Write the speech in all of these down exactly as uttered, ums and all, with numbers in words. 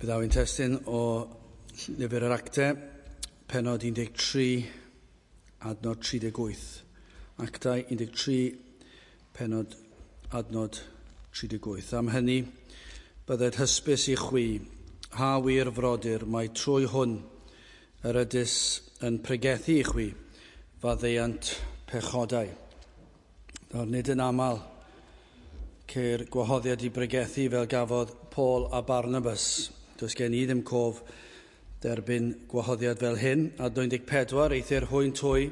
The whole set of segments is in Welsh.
Byddaf i'n testun o Lyfr yr Actau, pennod un deg tri, adnod tri deg wyth. Actau un deg tri, pennod adnod tri deg wyth. Am hynny, bydded hysbys i chwi, ha wir frodyr, mai trwy hwn yr ydys yn pregethu i chwi, faddeuant pechodau. Nawr, nid yn aml ceir gwahoddiad i bregethu fel gafodd Paul a Barnabas. Does gen i ddim cof derbyn gwahoddiad fel hyn. Adnod un deg pedwar, eithr hwynt hwy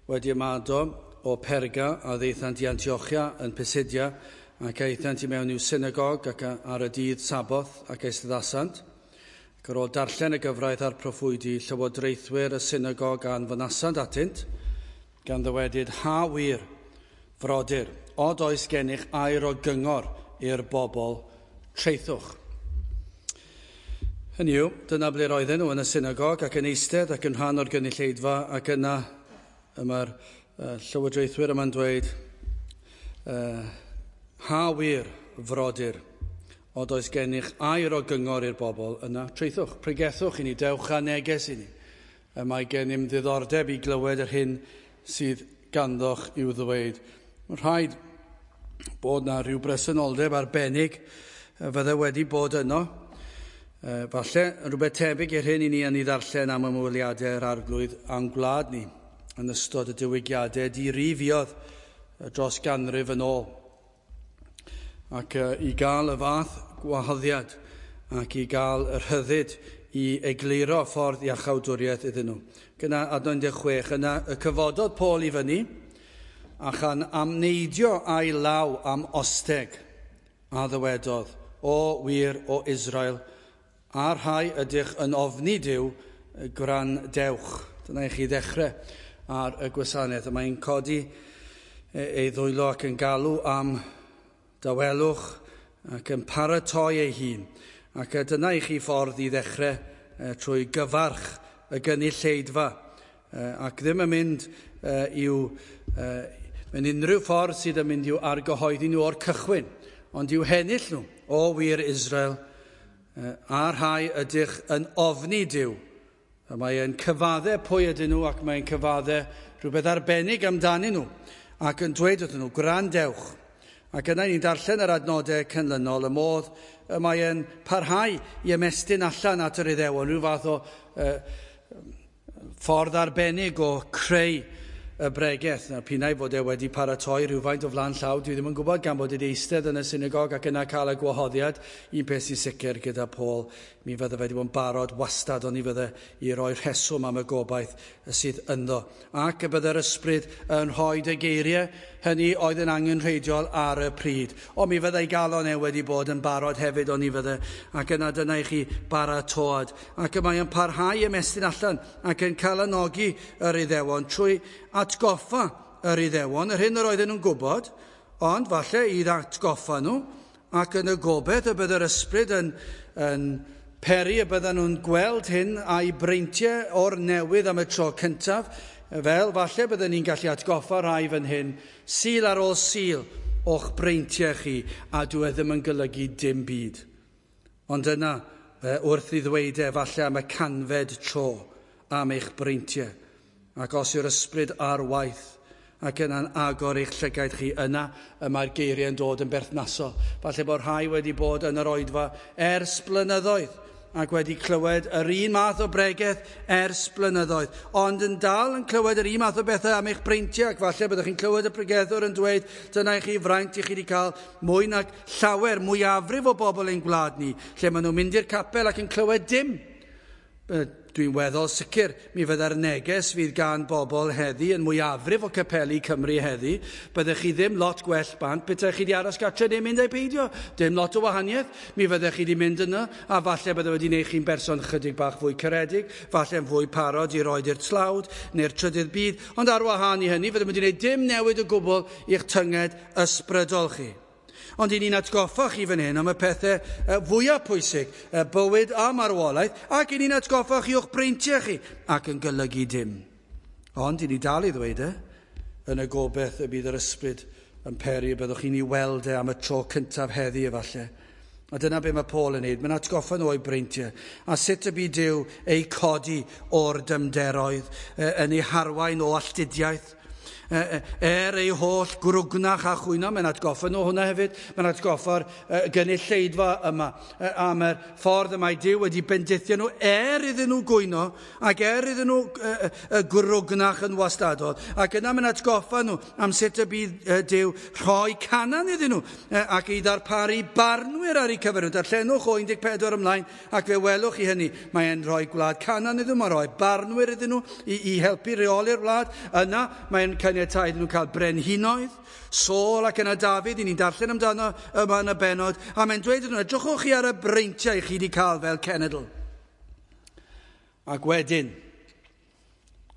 wedi ymado o Perga a ddaethant i Antiochia yn Pisidia ac aethant i mewn i'w synagog ac ar y dydd Saboth ac eisteddasant. Ac ar ôl darllen y gyfraith a'r proffwydi, llywodraethwyr y synagog a anfonasant atynt, gan ddywedyd, ha wir, frodyr, od oes gennych air o gyngor i'r bobl, traethwch. Hynny yw, dyna ble roedden nhw yn y synagog ac yn eistedd ac yn rhan o'r gynulleidfa, ac yna y mae'r uh, llywodraethwyr yma'n dweud, uh, ha wir, frodyr, od oes gennych air o gyngor i'r bobl, yna traethwch, pregethwch i ni, dewch â neges i ni. Y mae gennym ddiddordeb i glywed yr hyn sydd ganddoch i'w ddweud. Mae'n rhaid bod na rhyw bresenoldeb arbennig fydde wedi bod yno. Falle rhywbeth tebyg i'r hyn i ni yn ei ddarllen am ymweliadau yr arglwydd a'n gwlad ni yn ystod y diwygiadau dirifiodd dros ganrif yn ôl. Ac i gael y fath gwahoddiad ac i gael y rhyddid i egluro ffordd iachawdwriaeth iddyn nhw. Gyna adnod un deg chwech, yna y cyfododd Paul i fyny a chan amneidio a'i law am osteg a ddywedodd, o wir o Israel, a'r rhai ydych yn ofni Duw, gwrandewch. Dyna i chi ddechrau ar y gwasanaeth. Mae'n codi ei ddwylo ac yn galw am dawelwch ac yn paratoi ei hun. Ac dyna i chi ffordd i ddechrau trwy gyfarch y gynulleidfa. Ac ddim yn mynd i'w, mewn unrhyw ffordd sydd yn mynd i'w argyhoeddi nhw o'r cychwyn, ond i'w hennill nhw, o wir Israel, a'r rhai ydych yn ofni Duw. Mae e'n cyfadde pwy ydyn nhw ac mae'n cyfadde rhywbeth arbennig amdanyn nhw ac yn dweud wrthyn nhw, gwrandewch. Ac yna ni'n darllen yr adnodau canlynol, y modd y mae e'n parhau i ymestyn allan at yr Iddewon, rhyw fath o uh, ffordd arbennig o creu y bregeth. Nawr, pinnau fod e wedi paratoi rhywfaint o flaen llaw, dwi ddim yn gwybod, gan bod wedi eistedd yn y synagog ac yna cael y gwahoddiad. Un peth sy'n sicr gyda Paul, mi fydde fe wedi bod yn barod wastad, ond i fydde i roi rheswm am y gobaith sydd ynddo. Ac y bydde'r ysbryd yn rhoi y geiriau hynny oedd yn angenrheidiol ar y pryd. O, mi fyddai galon e wedi bod yn barod hefyd, ond i fydde. Ac yna dyna i chi baratoad. Ac y mae yn parhau ymestyn allan ac yn calanogi yr Iddewon trwy atgoffa yr Iddewon, yr hyn yr oedden nhw'n gwybod, ond falle i atgoffa nhw, ac yn y gobaith y bydd yr ysbryd yn, yn peri y bydden nhw'n gweld hyn a'i breintiau o'r newydd am y tro cyntaf, fel falle bydden ni'n gallu atgoffa rhai fan hyn, Sul ar ôl Sul o'ch breintiau chi, a dwi e ddim yn golygu dim byd. Ond yna, wrth i ddweud e, falle am y canfed tro am eich breintiau, ac os yw'r ysbryd ar waith ac yna'n agor eich llygaid chi, yna y mae'r geiriau yn dod yn berthnasol. Falle bod rhai wedi bod yn yr oedfa ers blynyddoedd ac wedi clywed yr un math o bregeth ers blynyddoedd, ond yn dal yn clywed yr un math o bethau am eich breintiau, ac falle byddwch chi'n clywed y pregethwr yn dweud, dyna i chi fraint i chi wedi cael mwy nag llawer, mwyafrif o bobl ein gwlad ni, lle maen nhw'n mynd i'r capel ac yn clywed dim. Dwi'n weddol sicr, mi fydda'r neges fydd gan bobl heddi yn mwyafrif o capeli Cymru heddi, byddech chi ddim lot gwell bant, betaech chi wedi aros gartre neu mynd a'i beidio, dim lot o wahaniaeth, mi fyddech chi wedi mynd yna, a falle bydde wedi gwneud chi'n berson chydig bach fwy caredig, falle'n fwy parod i roed i'r tlawd neu'r trydydd byd, ond ar wahân i hynny, fydde wedi gwneud dim newid o gwbl i'ch tynged ysbrydol chi. Ond i ni'n atgoffa chi fan hyn am y pethau fwyaf pwysig, bywyd a marwolaeth, ac i ni'n atgoffa chi o'ch breintiau chi, ac yn golygu dim. Ond i ni dal i ddweud e, yn y gobaith y bydd yr ysbryd yn peri y byddwch chi'n ei weld e am y tro cyntaf heddi efallai, A dyna be mae Paul yn neud. Mae'n atgoffa nhw o'i breintiau. A sut y bu Duw eu codi o'r dymderoedd, yn ei harwain o alltudiaeth. Er ei holl grwgnach a chwyno, mae'n atgoffa nhw hwnna hefyd. Mae'n atgoffa'r gynulleidfa yma am yr ffordd y mae Duw wedi bendithio nhw er iddyn nhw gwyno ac er iddyn nhw grwgnach yn wastadol. Ac yna mae'n atgoffa nhw am sut y bydd Duw rhoi Canaan iddyn nhw ac i ddarparu barnwyr ar eu cyfer nhw. Darllenwch o un deg pedwar ymlaen ac fe welwch chi hynny. Mae'n rhoi gwlad Canaan iddyn nhw, mae'n rhoi barnwyr iddyn nhw i, i helpu reoli'r wlad. Yna mae'n caniatáu iddyn nhw cael brenhinoedd, Saul ac yna Dafydd, i ni'n darllen amdano yma yn y bennod, a mae'n dweud iddyn nhw, edrychwch chi ar y breintiau chi wedi cael fel cenedl. Ac wedyn,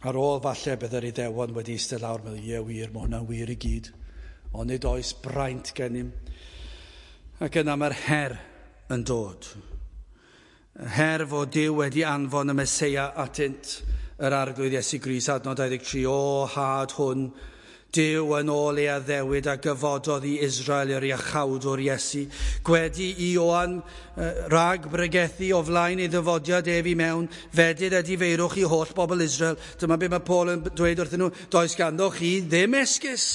ar ôl falle bydd yr Iddewon wedi eistedd lawr, meddwl, ie wir, mae hwnna'n wir i gyd, ond nid oes braint gennym. Ac yna mae'r her yn dod. Her fod Duw wedi anfon y Meseia atynt, yr Arglwydd Iesu Grist, adnod dau ddeg tri, o had hwn, Duw yn ôl ei addewid a gyfododd i Israel yr iachawdwr Iesu. Gwedi i Ioan rhag bregethu o flaen ei ddyfodiad ef i mewn, fedydd edifeirwch i holl bobl Israel. Dyma be mae Paul yn dweud wrthyn nhw, does ganddo chi ddim esgus.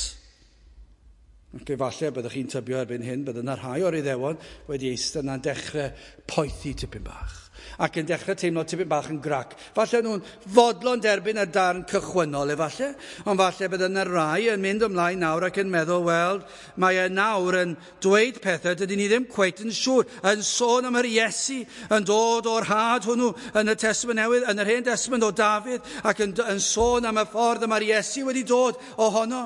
Ac efallai byddwch chi'n tybio erbyn hyn, bydd yna rhai o'r Iddewon wedi eistedd yna'n dechrau poethi tipyn bach ac yn dechrau teimlo tipyn bach yn grac. Falle nhw'n fodlon derbyn y darn cychwynnol efallai, ond falle bydd yna rai yn mynd ymlaen nawr ac yn meddwl, wel, mae e nawr yn dweud pethau dydyn ni ddim cweit yn siŵr, yn sôn am yr Iesu, yn dod o'r had hwnnw yn y Testament Newydd, yn yr Hen Testament o Dafydd, ac yn, yn sôn am y ffordd y mae'r Iesu wedi dod ohono.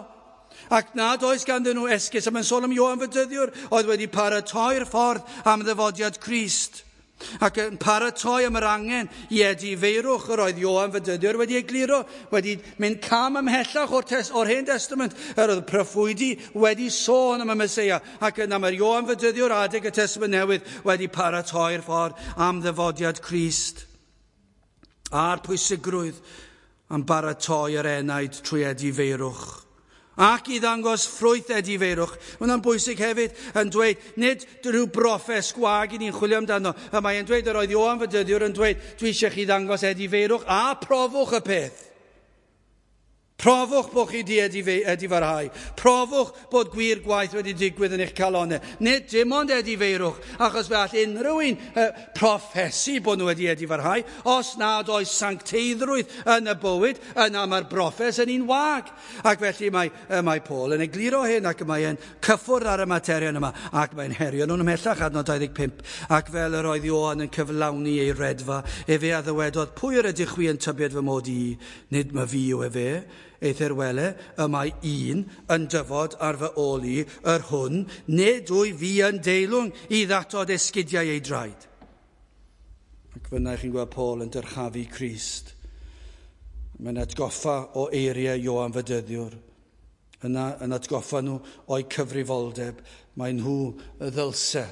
Ac nad oes ganddyn nhw esgus, a mae'n sôn am Ioan Fedyddiwr, oedd wedi paratoi'r ffordd am ddyfodiad Crist. Ac yn paratoi am yr angen i edifeirwch yr oedd Ioan Fedyddiwr wedi egluro, wedi mynd cam ymhellach o'r, tes, o'r Hen Testament, yr oedd proffwydi wedi sôn am y Meseia, ac yna mae'r Ioan Fedyddiwr adeg y Testament Newydd wedi paratoi'r ffordd am ddyfodiad Crist. A'r pwysigrwydd am baratoi yr enaid trwy edifeirwch. Ac i ddangos ffrwyth edifeirwch. Mae hwnna'n bwysig hefyd yn dweud, nid rhyw broffes gwag i ni'n chwilio amdano. A mae'n dweud, yr oedd Ioan Fedyddiwr yn dweud, dwi eisiau chi ddangos edifeirwch a profwch y peth. Profwch bod chi di edifarhau. Profwch bod gwir gwaith wedi digwydd yn eich calonau. Nid dim ond edifeirwch, achos fe all unrhyw un uh, proffesu bod nhw wedi edifarhau. Os nad oes sancteiddrwydd yn y bywyd, yna mae'r broffes yn un wag. Ac felly mae, uh, mae Paul yn egluro hyn, ac mae'n cyffwrdd ar y materion yma, ac mae'n herio nhw'n ymhellach, adnod dau ddeg pump. Ac fel yr oedd Ioan yn cyflawni ei redfa, efe a ddywedodd, pwy yr ydych chwi yn tybied fy mod i? Nid ma fi yw efe. Eithr wele, y mae un yn dyfod ar fy ôl i, yr hwn, nid wyf fi yn deilwng i ddatod esgidiau ei draed. Ac fyna chi'n gweld Paul yn dyrchafu Crist. Mae'n atgoffa o eiriau Ioan Fedyddiwr. Yna yn atgoffa nhw o'i cyfrifoldeb. Mae nhw y ddylse.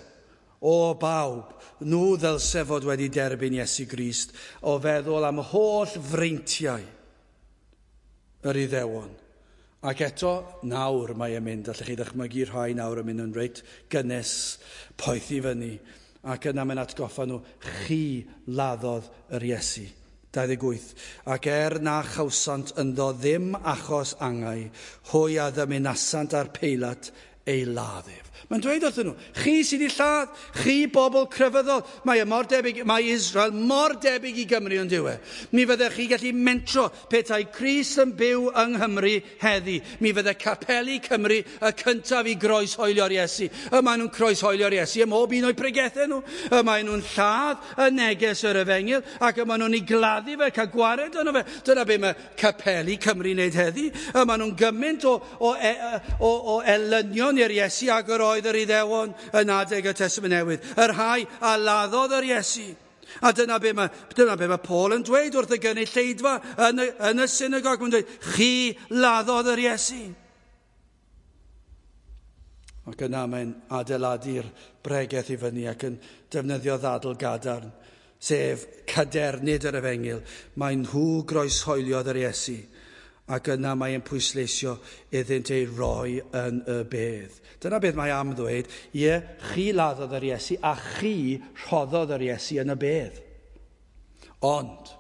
O bawb, nhw ddylse fod wedi derbyn Iesu Grist o feddwl am holl freintiau yr Iddewon. Ac eto, nawr mae e'n mynd, allwch chi ddychmygu rhai nawr yn mynd yn reit gynnes, poethi fyny, ac yna mae'n atgoffa nhw, chi laddodd yr Iesu. dau ddeg wyth. Ac er na chawsant ynddo ddim achos angau, hwy a ddymunasant ar Peilat ei ladd ef. Mae'n dweud wrthyn nhw, chi sydd wedi lladd, chi bobl crefyddol. Mae e mor debyg, mae Israel mor debyg i Gymru yn dyw e. Mi fyddech chi gallu mentro petai Crist yn byw yng Nghymru heddi. Mi fydde capeli Cymru y cyntaf i groeshoelio'r Iesu. Y maen nhw'n croeshoelio'r Iesu ym mhob un o'u pregethau nhw. Y maen nhw'n lladd y neges yr efengyl ac y maen nhw'n ei gladdu fe, cael gwared arno fe. Dyna be mae capeli Cymru'n wneud heddi. Y maen nhw'n gymaint o, o, o, o elynion i'r Iesu ag yr oedd yr Iddewon yn adeg y Testament Newydd, y rhai a laddodd yr Iesu. A dyna be mae, dyna be mae Paul yn dweud wrth y gynulleidfa yn y, yn y synagog. Mae'n dweud, chi laddodd yr Iesu. Ac yna mae'n adeiladu'r bregeth i fyny ac yn defnyddio ddadl gadarn, sef cadernid yr efengyl. Mae nhw groeshoeliodd yr Iesu Ac yna mae'n pwysleisio iddynt ei roi yn y bedd. Dyna beth mae am ddweud, ie, chi laddodd yr Iesu a chi rhoddodd yr Iesu yn y bedd. Ond,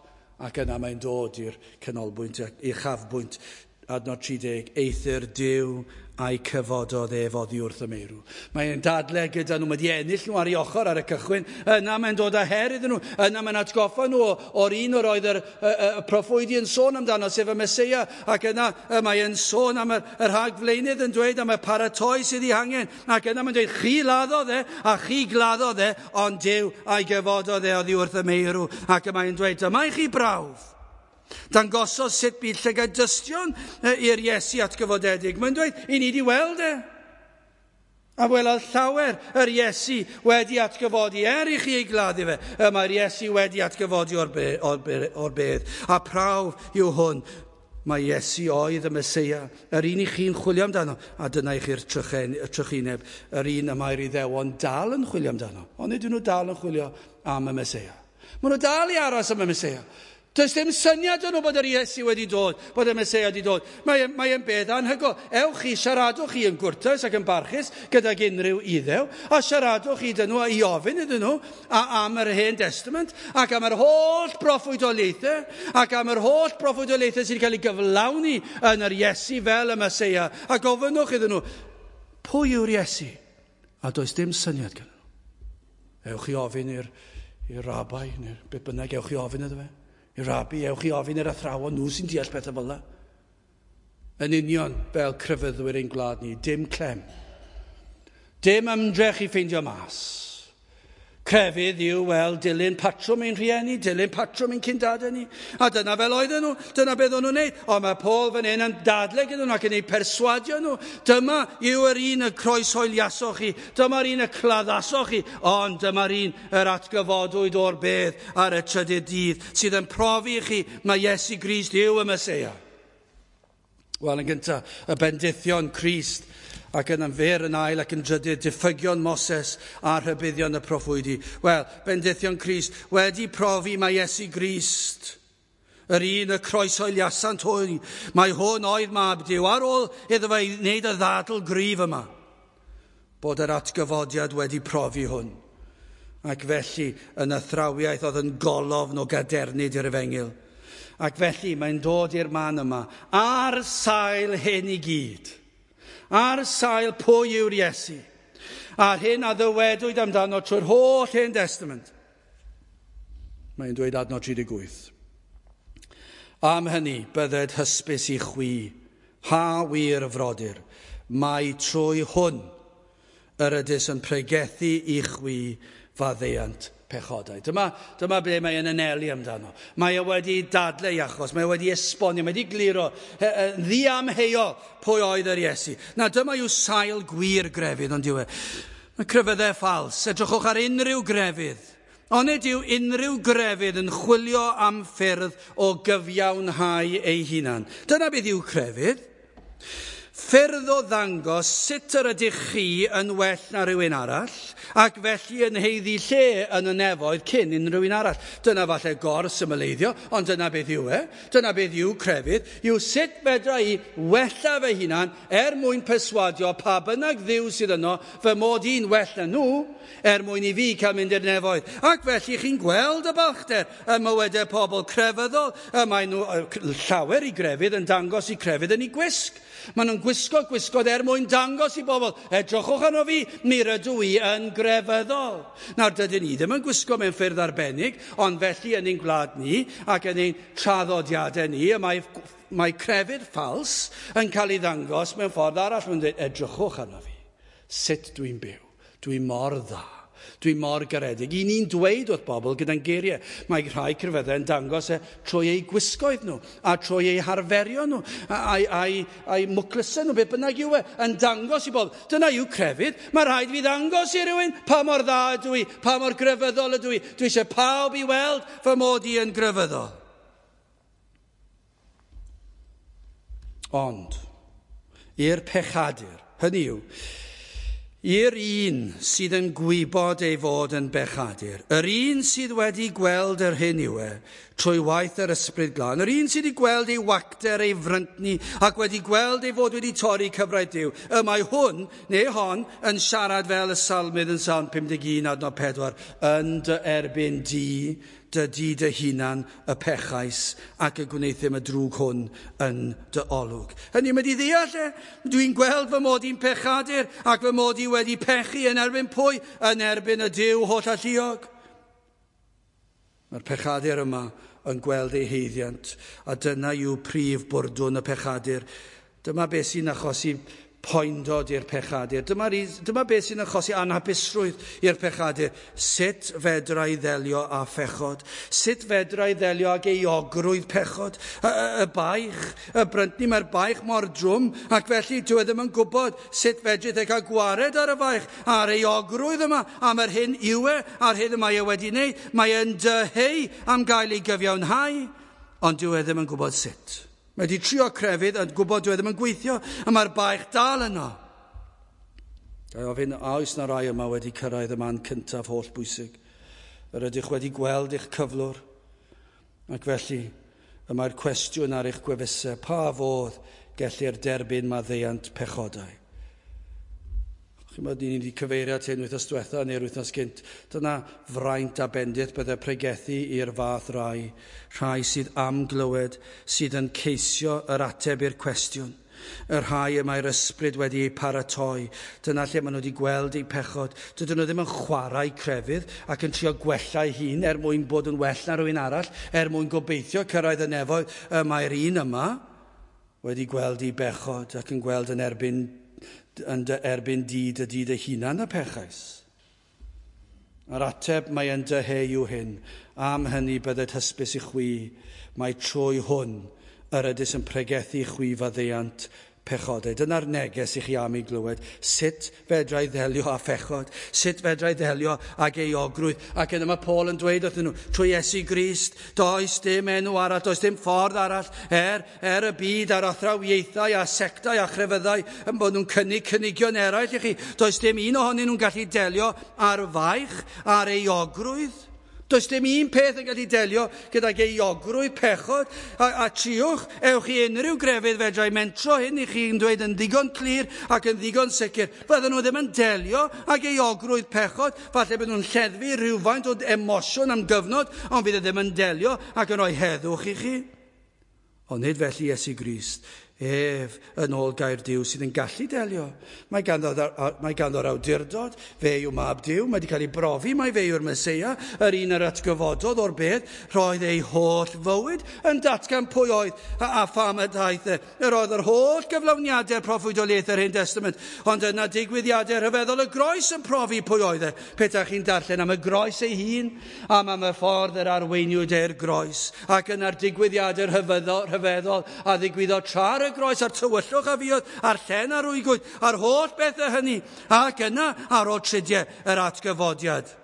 ac yna mae'n dod i'r canolbwynt, uchafbwynt, adnod tri deg, eithr Duw a'i cyfododd ef oddi wrth y meirw. Mae'n dadle gyda nhw, mae wedi ennill nhw ar ei ochr ar y cychwyn, yna mae'n dod â her iddyn nhw, yna mae'n atgoffa nhw o'r un o'r oedd yr, y, y, y proffwydi yn sôn amdano, sef y Meseia, ac yna mae'n sôn am yr, yr rhagflaenydd yn dweud am y paratoi sydd ei hangen, ac yna mae'n dweud, chi laddodd e, a chi gladdodd e, ond Duw a'i gyfododd e oddi wrth y meirw, ac mae'n dweud, dyma i chi brawf. Dangosodd sut bydd llygad dystion i'r Iesu atgyfodedig. Mae'n dweud, i ni di weld e. A welodd llawer yr Iesu wedi atgyfodi, er i chi ei gladdu fe. Y mae'r Iesu wedi atgyfodi o'r, be, o'r, be, o'r bedd. A prawf yw hwn. Mae Iesu oedd y Meseia, yr un i chi'n chwilio amdano. A dyna i chi'r trychineb, yr un y mae'r Iddewon dal yn chwilio amdano. Ond nid ydyn nhw dal yn chwilio am y Meseia. Maen nhw dal i aros am y Meseia. Does dim syniad yn nhw bod yr Iesu wedi dod, bod y Meseia wedi dod. Mae'n mae beth anhygoel. Ewch chi, siaradwch chi yn gwrtais ac yn barchus gydag unrhyw Iddew, a siaradwch chi dyn nhw i ofyn iddyn nhw a, am yr Hen Testament, ac am yr holl broffwydoliaethau, ac am yr holl broffwydoliaethau sydd wedi cael ei gyflawni yn yr Iesu fel y Meseia. A gofynnwch iddyn nhw, pwy yw'r Iesu? A does dim syniad gan nhw. Ewch chi ofyn i'r, i'r rabai, neu beth bynnag, ewch chi ofyn iddo fe. I rabi, ewch i ofyn i'r athrawon, nhw sy'n deall pethau fel yna. Yn union fel crefyddwyr ein gwlad ni, dim clem. Dim ymdrech i ffeindio mas. Crefydd yw, wel, dilyn patrwm ein rhieni, dilyn patrwm ein cyndadau ni. A dyna fel oedden nhw, dyna beth o'n nhw'n neud. Ond mae Paul fan hyn yn dadle gyda nhw ac yn eu perswadio nhw. Dyma yw yr un y croeshoeliasoch chi, dyma'r un y claddasoch chi, ond dyma'r un yr atgyfodwyd o'r bedd ar y trydydd dydd, sydd yn profi i chi mae Iesu Grist yw y Meseia. Wel, yn gyntaf, y bendithion Crist, ac yn fyr yn ail ac yn drydydd, diffygion Moses a rhybuddion y proffwydi. Wel, bendithion Crist wedi profi mae Iesu Grist, yr un y croeshoeliasant hwy, mae hwn oedd mab Duw, ar ôl iddo fe wneud y ddadl gryf yma, bod yr atgyfodiad wedi profi hwn. Ac felly yn athrawiaeth oedd yn golofn o gadernid i'r efengyl. Ac felly mae'n dod i'r man yma, ar sail hyn i gyd. Ar sail pwy yw'r Iesu, a'r hyn a ddywedwyd amdano trwy'r holl Hen Testament. Mae'n dweud adnod tri deg wyth. Am hynny, bydded hysbys i chwi, ha wir frodyr, mai trwy hwn yr ydys yn pregethu i chwi faddeuant pechodau. Dyma, dyma ble mae yn anelu amdano. Mae e wedi dadlau achos, mae e wedi esbonio, mae wedi gliro, ddiamheuol pwy oedd yr Iesu. Na, dyma yw sail gwir grefydd, ond yw e. Mae crefyddau ffals, edrychwch ar unrhyw grefydd. Onid yw unrhyw grefydd yn chwilio am ffyrdd o gyfiawnhau ei hunan. Dyna beth yw crefydd. Ffyrdd o ddangos sut yr ydych chi yn well na rhywun arall, ac felly yn haeddu lle yn y nefoedd cyn unrhyw un arall. Dyna falle gor-symleiddio, ond dyna beth yw e. Dyna beth yw crefydd, yw sut fedra i wella fy hunan er mwyn perswadio pa bynnag ddiw sydd yno, fy mod i'n well na nhw, er mwyn i fi cael mynd i'r nefoedd. Ac felly chi'n gweld y balchder ym mywydau pobl crefyddol, y mae nhw llawer i grefydd yn dangos i crefydd yn ei gwisg. Maen nhw'n gwisgo gwisgoedd er mwyn dangos i bobl, edrychwch arno fi, mi rydw i yn grefyddol. Nawr, dydyn ni ddim yn gwisgo mewn ffyrdd arbennig, ond felly yn ein gwlad ni ac yn ein traddodiadau ni, y mae, mae crefydd ffals yn cael ei ddangos mewn ffordd arall. Mae'n dweud, edrychwch arno fi, sut dwi'n byw, dwi'n mor dda. Dwi mor garedig. I ni'n dweud wrth bobl gyda'n geiriau. Mae rhai crefyddau yn dangos e trwy eu gwisgoedd nhw, a trwy eu harferion nhw, a'i, a'i, a'i mwclysau nhw, beth bynnag yw e, yn dangos i bobl. Dyna yw crefydd. Mae rhaid fi ddangos i rywun pa mor dda ydw i, pa mor grefyddol ydw i. Dwi eisiau pawb i weld fy mod i yn grefyddol. Ond, i'r pechadur, hynny yw, I'r un sydd yn gwybod ei fod yn bechadur, yr un sydd wedi gweld yr hyn yw e, trwy waith yr Ysbryd Glân, yr un sydd wedi gweld ei wacter, ei fryntni, ac wedi gweld ei fod wedi torri cyfraith Duw, y mae hwn, neu hon, yn siarad fel y salmydd yn Salm pum deg un adnod pedwar, yn dy erbyn di, dy di dy hunan y pechais ac y gwneuthum y drwg hwn yn dy olwg. Hynny, mae di ddeall e. Dwi'n gweld fy mod i'n pechadur ac fy mod i wedi pechu yn erbyn pwy? Yn erbyn y Duw hollalluog. Mae'r pechadur yma yn gweld ei haeddiant, a dyna yw prif bwrdwn y pechadur. Dyma beth sy'n achosi poendod i'r pechadur. Dyma, dyma beth sy'n achosi anhapusrwydd i'r pechadur. Sut fedra i ddelio â phechod? Sut fedra i ddelio ag euogrwydd pechod? Y, y, y baich, y bryntni, mae'r baich mor drwm, ac felly dwi ddim yn gwybod sut fedrith e cael gwared ar y baich, a'r euogrwydd yma, am yr hyn yw e, a'r hyn y mae e wedi wneud. Mae e'n dyheu am gael ei gyfiawnhau, ond dwi e ddim yn gwybod sut. Mae wedi trio crefydd yn gwybod dwi ddim yn gweithio, a mae'r baich dal yno. Ga i ofyn, a oes na rai yma wedi cyrraedd y man cyntaf holl bwysig? Yr ydych wedi gweld eich cyflwr, ac felly y mae'r cwestiwn ar eich gwefusau, pa fodd gellir derbyn maddeuant pechodau? Chi'n bod, ni wedi cyfeirio at hyn wythnos diwetha neu'r wythnos gynt. Dyna fraint a bendith bydde pregethu i'r fath rai, rhai sydd am glywed, sydd yn ceisio yr ateb i'r cwestiwn. Y rhai y mae'r ysbryd wedi eu paratoi. Dyna lle maen nhw wedi gweld eu pechod. Dydyn nhw ddim yn chwarae crefydd ac yn trio gwella eu hun er mwyn bod yn well na rhywun arall, er mwyn gobeithio cyrraedd y nefoedd. Y mae'r un yma wedi gweld ei bechod ac yn gweld yn erbyn yn dy erbyn di dy di dy hunan y pechais. A'r ateb mae yn dyheu yw hyn, am hynny bydded hysbys i chwi, mae trwy hwn yr ydys yn pregethu chwi faddeuant pechodau. Dyna'r neges i chi am ei glywed. Sut fedra i ddelio â phechod? Sut fedra i ddelio ag euogrwydd? Ac yna mae Paul yn dweud wrthyn nhw, trwy Iesu Grist, does dim enw arall, does dim ffordd arall, er, er y byd a'r athrawiaethau a sectau a chrefyddau yn bod nhw'n cynnig cynigion eraill i chi. Does dim un ohonyn nhw'n gallu delio â'r faich, a'r euogrwydd. Does dim un peth yn gallu delio gydag euogrwydd pechod, a, a triwch, ewch i unrhyw grefydd fedrai mentro hyn i chi'n dweud yn ddigon clir ac yn ddigon sicr. Fydden nhw ddim yn delio ag euogrwydd pechod, falle bydden nhw'n lleddfu rhywfaint o emosiwn am gyfnod, ond fydd e ddim yn delio ac yn rhoi heddwch i chi. Ond nid felly Iesu Grist, ef yn ôl gair Duw sydd yn gallu delio. Mae ganddo, mae ganddo'r awdurdod, fe yw mab Duw, mae wedi cael ei brofi, mae fe yw'r Meseia, yr un yr atgyfododd o'r bedd, roedd ei holl fywyd yn datgan pwy oedd a, a pham y daeth e. Yr oedd yr holl gyflawniadau proffwydoliaeth yr Hen Testament, ond yna digwyddiadau rhyfeddol y groes yn profi pwy oedd e. Petach chi'n darllen am y groes ei hun, am am y ffordd yr arweiniwyd e'r groes, ac yna'r digwyddiadau rhyfeddol, rhyfeddol a ddigwyddodd tra'r y groes a'r tywyllwch a fuodd, a'r llen a'r rwygwyd, a'r holl bethau hynny, ac yna ar ôl tridiau yr atgyfodiad.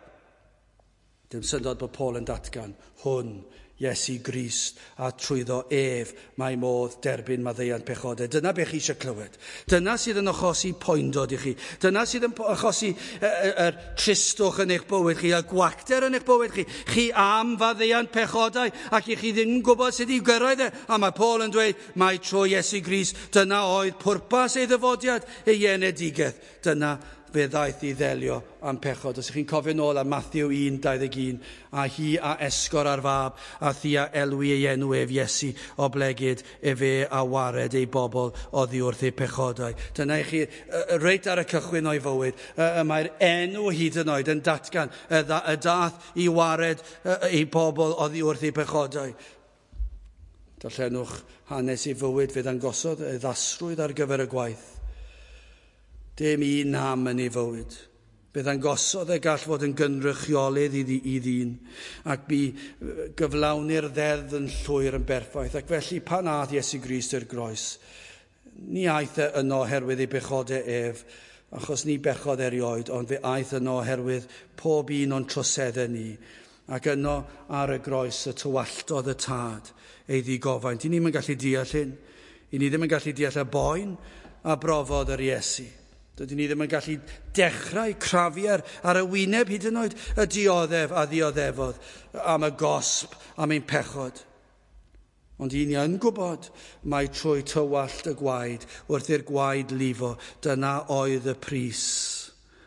Dim syndod bod Paul yn datgan, hwn, Iesu Grist, a trwyddo ef mae modd derbyn maddeuant pechodau. Dyna beth chi eisiau clywed. Dyna sydd yn achosi poendod i chi. Dyna sydd yn achosi yr tristwch yn eich bywyd chi, a gwacter yn eich bywyd chi. Chi am faddeuant pechodau, ac i chi ddim yn gwybod sut i gyrraedd e. A mae Paul yn dweud, mae trwy Iesu Grist, dyna oedd pwrpas ei ddyfodiad, ei enedigaeth. Dyna fe ddaeth i ddelio am pechod. Os ych chi'n cofio nôl am Matthew un dau ddeg un, a hi a esgor ar fab, a thi a elwi ei enw ef Iesu, oblegid efe a wared ei bobl oddi wrth ei pechodau. Dyna i chi, reit ar y cychwyn o'i fywyd, y mae'r enw hyd yn oed yn datgan y dath i wared ei bobl oddi wrth ei pechodau. Darllenwch hanes ei fywyd, fe ddangosodd ei ddasrwydd ar gyfer y gwaith. Dim un nam yn ei fywyd. Fe ddangosodd e gall fod yn gynrychiolydd i, i ddyn, ac bu gyflawni'r ddeddf yn llwyr yn berffaith. Ac felly pan aeth Iesu Grist i'r groes, ni aeth e yno oherwydd ei bechodau ef, achos ni bechodd erioed, ond fe aeth yno oherwydd pob un o'n troseddau ni. Ac yno ar y groes y tywalltodd y tad ei ddigofaint. I ni'm yn gallu deall hyn. I ni ddim yn gallu deall y boen a brofodd yr Iesu. Dydyn ni ddim yn gallu dechrau crafu ar, ar y wyneb hyd yn oed y dioddef a ddioddefodd am y gosb, am ein pechod. Ond i ni yn gwybod mai trwy tywallt y gwaed, wrth i'r gwaed lifo, dyna oedd y pris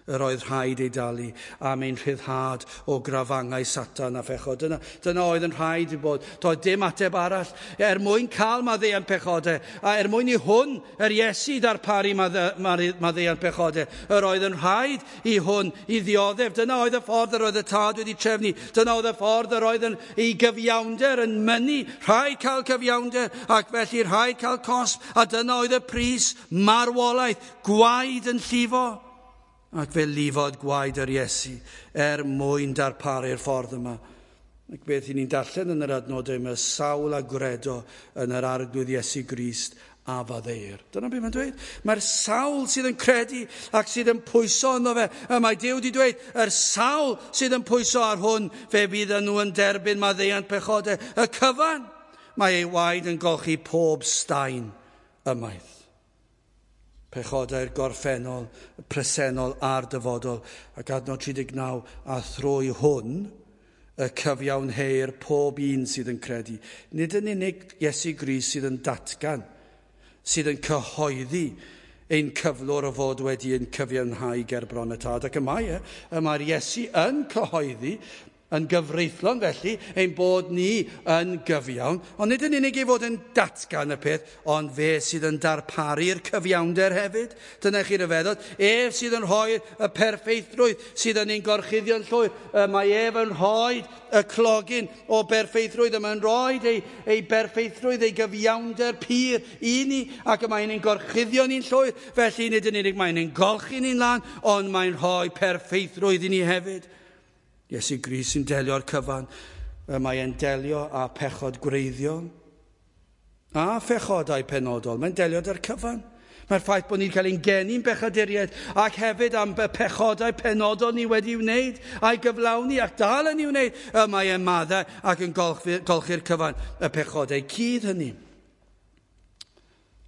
yr oedd rhaid ei dalu am ein rhyddhad o grafangau Satan a phechod. Dyna, dyna oedd yn rhaid i bod. Doedd dim ateb arall. Er mwyn cael maddeuant pechodau, a er mwyn i hwn, yr Iesu ddarparu maddeuant pechodau, yr oedd yn rhaid i hwn i ddioddef. Dyna oedd y ffordd yr oedd y Tad wedi trefnu. Dyna oedd y ffordd yr oedd yn ei gyfiawnder yn mynnu. Rhaid cael cyfiawnder, ac felly rhaid cael cosb. A dyna oedd y pris, marwolaeth, gwaed yn llifo. Ac fe lifodd gwaed yr Iesu er mwyn darparu'r ffordd yma. Ac beth i ni'n darllen yn yr adnodau yma, sawl a gredo yn yr Arglwydd Iesu Grist a faddeuir. Dyna beth mae'n dweud. Mae'r sawl sydd yn credu ac sydd yn pwyso ynddo fe. Y mae Duw wedi dweud, yr sawl sydd yn pwyso ar hwn, fe bydd nhw yn derbyn maddeuant pechodau. Y cyfan, mae ei waed yn golchi pob staen ymaith. Pechodau'r gorffennol, y presennol a'r dyfodol. Ac adnod tri deg naw, a thrwy hwn y cyfiawnheir pob un sydd yn credu. Nid yn unig Iesu Grist sydd yn datgan, sydd yn cyhoeddi ein cyflwr o fod wedi ein cyfiawnhau ger bron y Tad. Ac y mae e, y mae'r Iesu yn cyhoeddi, yn gyfreithlon felly, ein bod ni yn gyfiawn, ond nid yn unig ei fod yn datgan y peth, ond fe sydd yn darparu'r cyfiawnder hefyd. Dyna chi ryfeddod. Ef sydd yn rhoi y perffeithrwydd sydd yn ein gorchuddio'n llwyr. Mae ef yn rhoi y clogyn o berffeithrwydd. Mae'n rhoi ei, ei berffeithrwydd, ei gyfiawnder pur i ni, ac y mae'n ein gorchuddio ni'n llwyr. Felly nid yn unig mae'n ein golchi ni'n lan, ond mae'n rhoi perffeithrwydd i ni hefyd. Iesu Grist sy'n delio â'r cyfan. Mae e'n delio â pechod gwreiddiol a phechodau penodol. Mae'n delio â'r cyfan. Mae'r ffaith bod ni'n cael ein geni'n bechaduriaid ac hefyd am y pechodau penodol ni wedi wneud a'i gyflawni ac dal yn ei wneud. Mae e'n maddau ac yn golchi'r cyfan, y pechodau cudd hynny.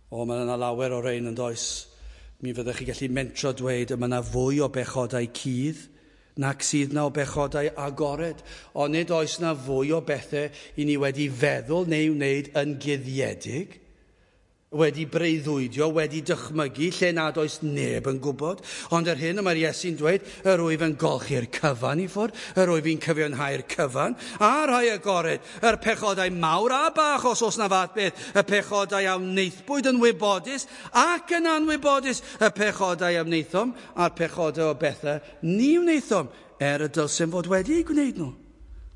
O, mae yna lawer o rein yn does. Mi fyddech chi gallu mentro dweud y mae yna fwy o bechodau cudd nac sydd na o bechodau agored, ond nid oes na fwy o bethau i ni wedi feddwl neu wneud yn guddiedig, wedi breuddwydio, wedi dychmygu, lle nad oes neb yn gwybod. Ond yr hyn y mae'r Iesu'n dweud, yr wyf yn golchi'r cyfan i ffwrdd, yr wyf i'n cyfiawnhau'r cyfan, a rhai agored, yr pechodau mawr a bach, os oes na fath beth, y pechodau a wnaethpwyd yn wybodus ac yn anwybodus, y pechodau a wnaethom a'r pechodau o bethau ni wnaethom, er y dylsem fod wedi eu gwneud nhw.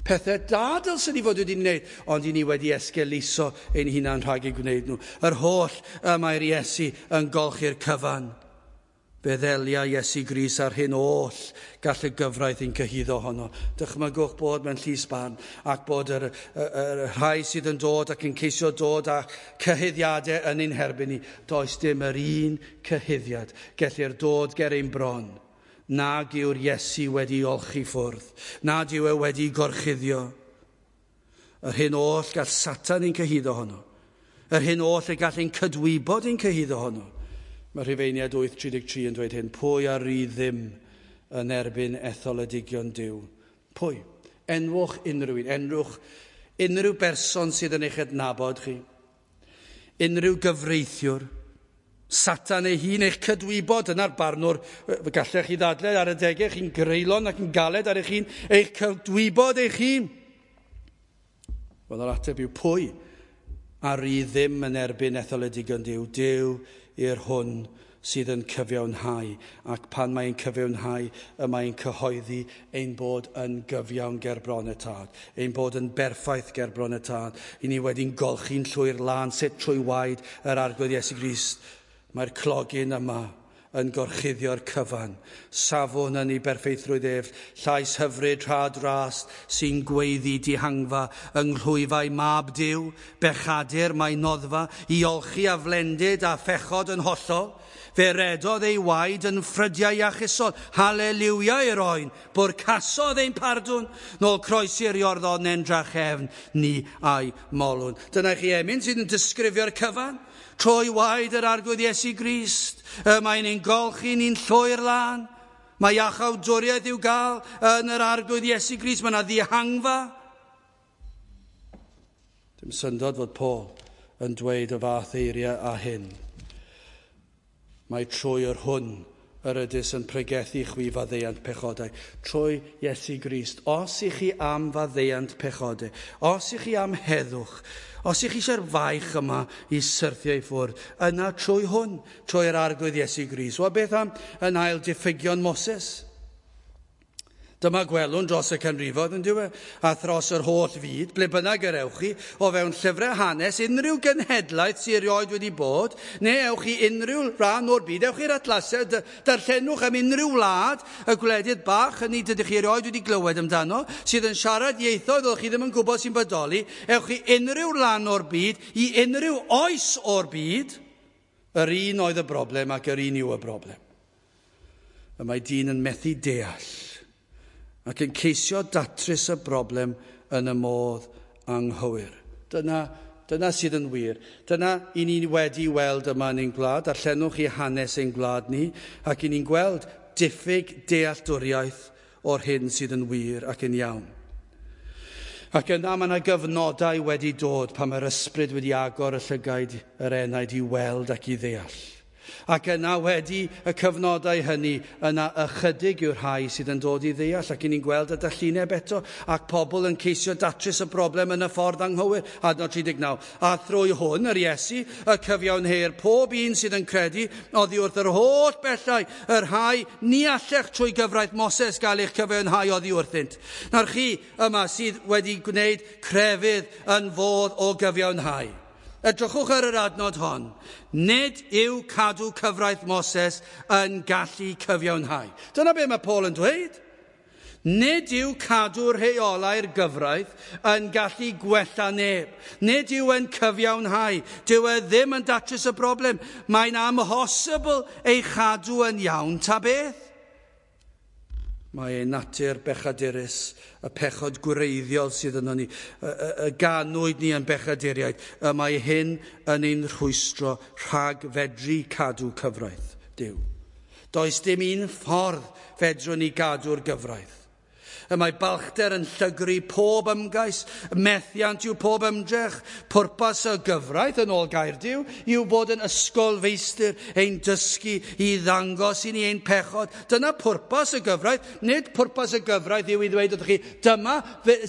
Pethau da dylswn ni fod wedi wneud, ond i ni wedi esgeuluso ein hunan rhag eu gwneud nhw. Yr holl y mae'r Iesu yn golchi'r cyfan. Fe ddelia Iesu Grist ar hyn oll gall y gyfraith ein cyhuddo honno. Dychmygwch bod mewn llys barn ac bod yr, yr, yr rhai sydd yn dod ac yn ceisio dod â cyhuddiadau yn ein herbyn ni. Does dim yr un cyhuddiad gellir dod ger ein bron. Nag yw'r Iesu wedi olchi ffwrdd, nad yw e wedi gorchuddio. Yr hyn oll gall Satan ein cyhuddo honno. Yr hyn oll y gall ein cydwybod ein cyhuddo honno. Mae Rhufeiniaid wyth tri deg tri yn dweud hyn, pwy a ry ddim yn erbyn etholedigion Duw? Pwy? Enwch unrhyw un, enwch unrhyw berson sydd yn eich adnabod chi, unrhyw gyfreithiwr, Satan ei hun, eich cydwybod, yna'r barnwr, gallech chi ddadle ar y degau, chi'n greulon ac yn galed ar eich hun, eich cydwybod eich hun. Wel, yr ateb yw pwy a ry ddim yn erbyn etholedigion Duw? Duw i'r hwn sydd yn cyfiawnhau, ac pan mae'n cyfiawnhau, y mae'n cyhoeddi ein bod yn gyfiawn ger bron y Tad, ein bod yn berffaith ger bron y Tad, i ni wedi'n golchi'n llwyr lân sut trwy waed yr Arglwydd Iesu Grist. Mae'r clogyn yma yn gorchuddio'r cyfan. Safwn yn ei berffeithrwydd ef, llais hyfryd rhad ras sy'n gweiddi dihangfa yng nghlwyfau mab Duw, bechadur mae noddfa, i olchi a flendid a phechod yn hollol. Fe redodd ei waed yn ffrydiau iachusol, haleliwia i'r oen, bwrcasodd ein pardwn, nôl croesi'r Iorddonen drachefn, ni a'i molwn. Dyna chi emyn sydd yn disgrifio'r cyfan. Trwy waed yr Arglwydd Iesu Grist, y mae'n ein golchi ni'n llwyr lân. Mae iachawdwriaeth i'w gael yn yr Arglwydd Iesu Grist. Mae yna ddihangfa. Dim syndod fod Paul yn dweud y fath eiriau a hyn. Mae trwy yr hwn yr ydys yn pregethu chwi faddeuant pechodau. Trwy Iesu Grist, os i chi am faddeuant pechodau, os i chi am heddwch, os i chi eisiau'r faich yma i syrthio i ffwrdd, yna trwy hwn, trwy'r Arglwydd Iesu Grist. Wel, beth am yn ail diffygion Moses? Dyma gwelwn dros y canrifoedd yn dyw e, a thros yr holl fyd, ble bynnag yr ewch chi, o fewn llyfrau hanes, unrhyw genhedlaeth sydd erioed wedi bod, neu ewch chi unrhyw rhan o'r byd, ewch chi'r atlasau, darllenwch am unrhyw wlad, y gwledydd bach hynny dydych chi erioed wedi glywed amdano, sydd yn siarad ieithoedd oeddech chi ddim yn gwybod sy'n bodoli, ewch chi unrhyw ran o'r byd, i unrhyw oes o'r byd, yr un oedd y broblem ac yr un yw y broblem. Y mae dyn yn methu deall ac yn ceisio datrys y broblem yn y modd anghywir. Dyna, dyna sydd yn wir. Dyna i ni wedi weld yma yn ein gwlad. Darllenwch i hanes ein gwlad ni, ac i ni'n gweld diffyg dealltwriaeth o'r hyn sydd yn wir ac yn iawn. Ac yna mae yna gyfnodau wedi dod pan mae'r ysbryd wedi agor y llygaid yr enaid i weld ac i ddeall. Ac yna wedi y cyfnodau hynny, yna ychydig yw'r rhai sydd yn dod i ddeall, ac i ni'n gweld y dallineb eto, ac pobl yn ceisio datrys y broblem yn y ffordd anghywir. Adnod tri deg naw. A thrwy hwn, yr Iesu, y cyfiawnheir pob un sydd yn credu, oddi wrth yr holl bellau, y rhai ni allech trwy gyfraith Moses gael eich cyfiawnhau oddi wrthynt. Nawr chi yma sydd wedi gwneud crefydd yn fodd o gyfiawnhau. Edrychwch ar yr adnod hon. Nid yw cadw cyfraith Moses yn gallu cyfiawnhau. Dyna be mae Paul yn dweud. Nid yw cadw rheolau'r gyfraith yn gallu gwella neb. Nid yw yn cyfiawnhau. Dyw e ddim yn datrys y broblem. Mae'n amhosibl ei chadw yn iawn ta beth. Mae ei natur bechadurus, y pechod gwreiddiol sydd yno ni, y, y, y ganwyd ni yn bechaduriaid, y mae hyn yn ein rhwystro rhag fedru cadw cyfraith Duw. Does dim un ffordd fedrwn ni gadw'r gyfraith. Y mae balchder yn llygru pob ymgais, methiant yw pob ymdrech. Pwrpas y gyfraith yn ôl gair Duw yw bod yn ysgol feistr ein dysgu i ddangos i ni ein pechod. Dyna pwrpas y gyfraith. Nid pwrpas y gyfraith yw i ddweud wrthych chi, dyma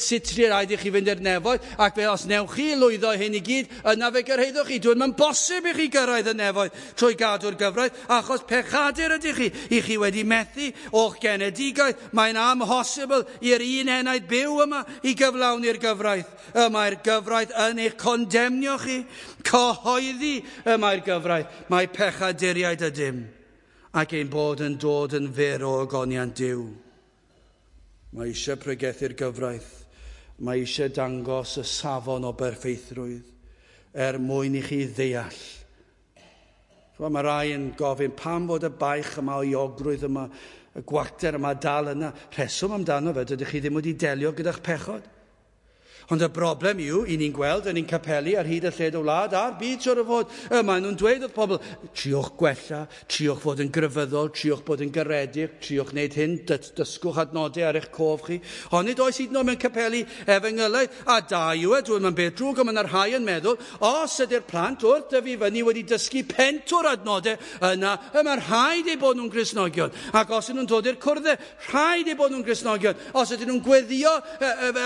sut rhaid i chi fynd i'r nefoedd, ac fe os newch chi lwyddo hyn i gyd, yna fe gyrhaeddwch chi. Dwi'n mae'n bosib i chi gyrraedd y nefoedd trwy gadw'r gyfraith, achos pechadur ydych chi. I chi wedi methu o'ch genedigaeth. Mae'n amhosibl i'r un enaid byw yma i gyflawni'r gyfraith. Y mae'r gyfraith yn eich condemnio chi. Cyhoeddi y mae'r gyfraith. Mae pechaduriaid ydym, ac ein bod yn dod yn fyr o ogoniant Duw. Mae eisiau pregethu'r gyfraith. Mae eisiau dangos y safon o berffeithrwydd er mwyn i chi ddeall. Mae rai yn gofyn pam fod y baich yma o iogrwydd yma, y gwacter yma dal yna. Rheswm amdano fe, dydych chi ddim wedi delio gyda'ch pechod. Ond y broblem yw, i ni'n gweld yn ein capeli ar hyd y lled o wlad a'r byd siwr o fod, y maen nhw'n dweud wrth pobl, triwch gwella, triwch fod yn grefyddol, triwch bod yn garedig, triwch wneud hyn, dysgwch adnodau ar eich cof chi. Ond nid oes hyd yn oed mewn capeli efengylaidd, a da yw e, dwi'n mynd beth drwg, ond mae yna rhai yn meddwl, os ydy'r plant wrth dyfu fyny wedi dysgu pentwr adnodau, yna, y mae rhaid eu bod nhw'n Gristnogion. Ac os ydyn nhw'n dod i'r cwrddau, rhaid eu bod nhw'n Gristnogion. Os ydyn nhw'n gweddio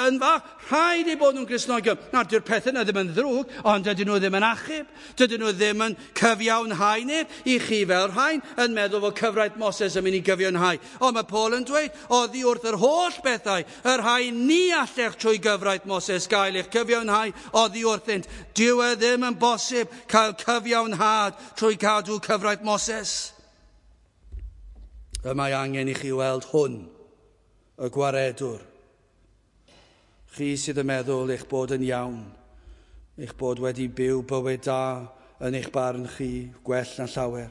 yn fach, rhaid eu bod nhw'n Gristnogion. Nawr, dyw'r pethau yna ddim yn ddrwg, ond dydyn nhw ddim yn achub. Dydyn nhw ddim yn cyfiawnhau neb. I chi fel rhain yn meddwl fod cyfraith Moses yn mynd i gyfiawnhau. Ond mae Paul yn dweud, oddi wrth yr holl bethau, y rhai ni allech trwy gyfraith Moses gael eich cyfiawnhau oddi wrthynt. Dyw e ddim yn bosib cael cyfiawnhad trwy cadw cyfraith Moses. Y mae angen i chi weld hwn, y gwaredwr. Chi sydd yn meddwl eich bod yn iawn, eich bod wedi byw bywyd da yn eich barn chi, gwell na llawer.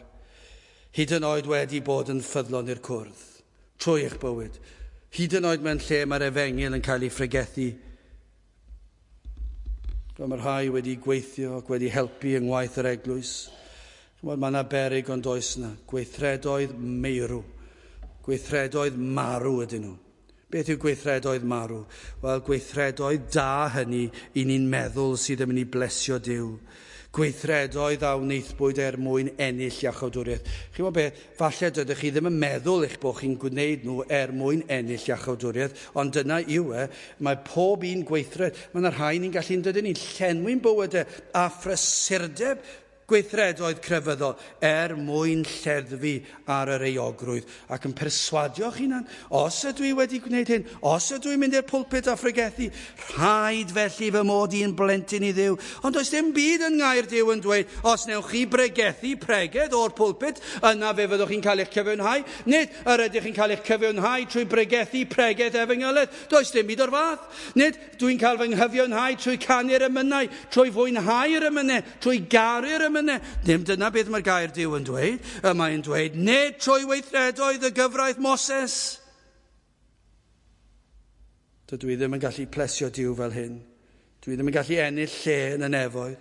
Hyd yn oed wedi bod yn ffyddlon i'r cwrdd, trwy eich bywyd. Hyd yn oed mewn lle mae'r efengyl yn cael ei phregethu. Mae rhai wedi gweithio ac wedi helpu yng ngwaith yr eglwys. Mae yna beryg ond oes yna. Gweithredoedd meirw. Gweithredoedd marw ydyn nhw. Beth yw gweithredoedd marw? Wel, gweithredoedd da hynny i ni'n meddwl sydd yn mynd i blesio Duw. Gweithredoedd a wnaethpwyd er mwyn ennill iachawdwriaeth. Chi'n gwybod beth? Falle dydych chi ddim yn meddwl eich bod chi'n gwneud nhw er mwyn ennill iachawdwriaeth, ond dyna yw e. Mae pob un gweithred. Mae yna rhai ni'n gallu, dydyn ni'n llenwi'n bywydau a phrysurdeb gweithredoedd crefyddol er mwyn lleddfu ar yr euogrwydd ac yn perswadio'ch hunan, os ydw i wedi gwneud hyn, os ydw i'n mynd i'r pulpit a phregethu, rhaid felly fy mod i'n blentyn i Dduw. Ond does dim byd yn ngair Duw yn dweud, os newch chi bregethu pregeth o'r pulpit, yna fe fyddwch chi'n cael eich cyfiawnhau. Nid yr ydych chi'n cael eich cyfiawnhau trwy bregethu pregeth efengylaidd. Does dim byd o'r fath. Nid dwi'n cael fy nghyfiawnhau trwy canu'r emynau, trwy fwynhau'r emynau, trwy garu'r emynau. Dim dyna beth mae'r gair Duw yn dweud. Y mae'n dweud, nid trwy weithredoedd y gyfraith Moses. Dydw i ddim yn gallu plesio Duw fel hyn. Dwi ddim yn gallu ennill lle yn y nefoedd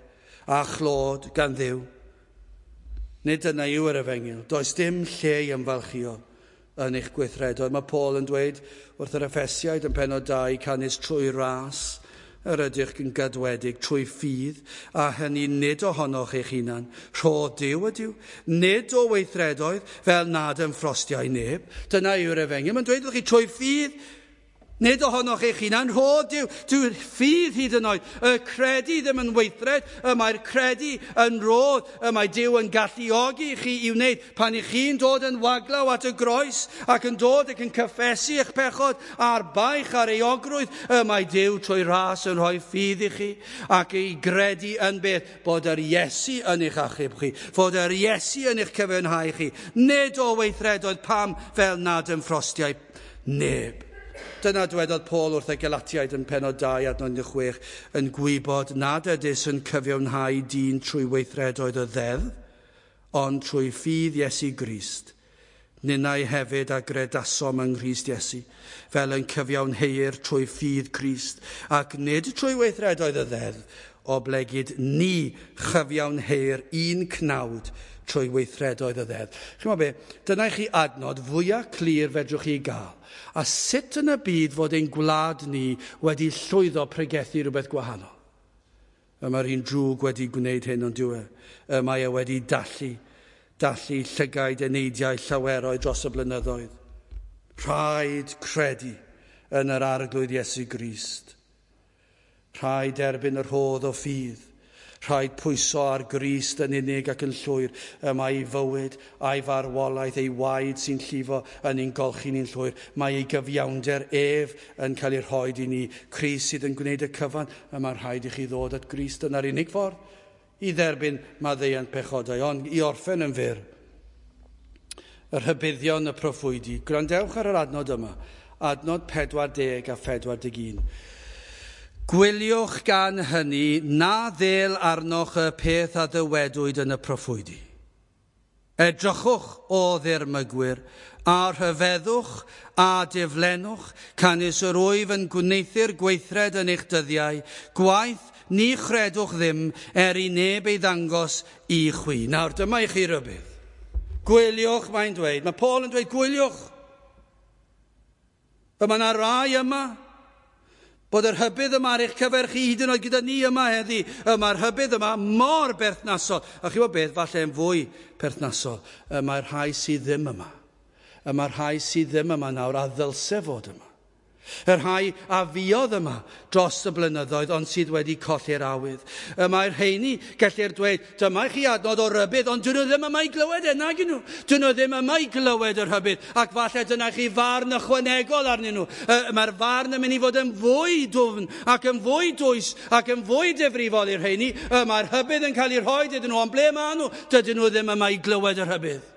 a chlod gan Dduw. Nid dyna yw yr efengyl. Does dim lle i ymfalchio yn eich gweithredoedd. Mae Paul yn dweud wrth yr Effesiaid yn pennod dau, canys trwy ras yr ydych yn gadwedig trwy ffydd, a hynny nid ohonoch eich hunan. Rhodd Duw ydyw, nid o weithredoedd, fel nad ymffrostiau neb. Dyna yw'r efengyl. Mae'n dweud wrth chi trwy ffydd, nid ohonoch eich hunan, rhodd Duw. Dyw'r ffydd hyd yn oed. Y credu ddim yn weithred, y mae'r credu yn rodd, y mae Duw yn galluogi chi i wneud. Pan i chi'n dod yn waglaw at y groes ac yn dod ac yn cyffesu eich pechod a'r baich a'r euogrwydd, y mae Duw trwy ras yn rhoi ffydd i chi ac i gredu yn beth bod yr Iesu yn eich achub chi, fod yr Iesu yn eich cyfiawnhau chi, nid o weithredoedd pam fel nad ymffrostiau neb. Dyna dwedodd Paul wrth y Galatiaid yn pennod dau adnod un deg chwech, yn gwybod nad ydys yn cyfiawnhau dyn trwy weithredoedd y ddeddf, ond trwy ffydd Iesu Grist. Ninnau hefyd a gredasom yng Nghrist Iesu, fel yn cyfiawnheir trwy ffydd Crist, ac nid trwy weithredoedd y ddeddf, oblegid ni chyfiawnheir un cnawd trwy weithredoedd y ddeddf. Chi'n gwybod be? Dyna i chi adnod fwyaf clir fedrwch chi gael. A sut yn y byd fod ein gwlad ni wedi llwyddo pregethu rhywbeth gwahanol? Y mae'r un drwg wedi gwneud hyn ond dyw e. Y mae e wedi dallu, dallu llygaid eneidiau llaweroedd dros y blynyddoedd. Rhaid credu yn yr Arglwydd Iesu Grist. Rhaid erbyn y rhodd o ffydd. Rhaid pwyso ar Grist yn unig ac yn llwyr. Y mae ei fywyd a'i farwolaeth, ei waed sy'n llifo yn ein golchi ni'n llwyr. Mae ei gyfiawnder ef yn cael ei rhoid i ni. Crist sydd yn gwneud y cyfan. Y mae rhaid i chi ddod at Grist yn yr unig ffordd i dderbyn maddeuant pechodau. Ond i orffen yn fyr, y rhybuddion y proffwydi. Gwrandewch ar yr adnod yma. Adnod pedwar deg a phedwar deg un. Gwyliwch gan hynny na ddel arnoch y peth a ddywedwyd yn y proffwydi. Edrychwch o ddirmygwyr, a rhyfeddwch a diflennwch, canys yr wyf yn gwneuthur gweithred yn eich dyddiau, gwaith ni chredwch ddim er i neb ei ddangos i chwi. Nawr dyma i chi rybudd. Gwyliwch, mae'n dweud. Mae Paul yn dweud gwyliwch. Mae yna rai yma bod yr hybydd yma ar eich cyfer chi hyd yn oed gyda ni yma heddi. Y mae'r hybydd yma mor berthnasol. A chi gwybod beth, falle yn fwy perthnasol. Y mae'r rhai sydd ddim yma. Y mae'r rhai sydd ddim yma nawr a ddylse fod yma. Y rhai a fuodd yma dros y blynyddoedd ond sydd wedi colli'r awydd. Y mae'r rheini, gellir dweud, dyma i chi adnod o rybudd, ond dyn nhw ddim yma i glywed e, nag nhw. Dyn nhw ddim yma i glywed yr rhybudd, ac falle dyna chi farn ychwanegol arnyn nhw. Y mae'r farn yn mynd i fod yn fwy dwfn, ac yn fwy dwys, ac yn fwy difrifol i'r rheini. Y mae'r rhybudd yn cael ei rhoi iddyn nhw, ond ble maen nhw? Dydyn nhw ddim yma i glywed y rhybudd.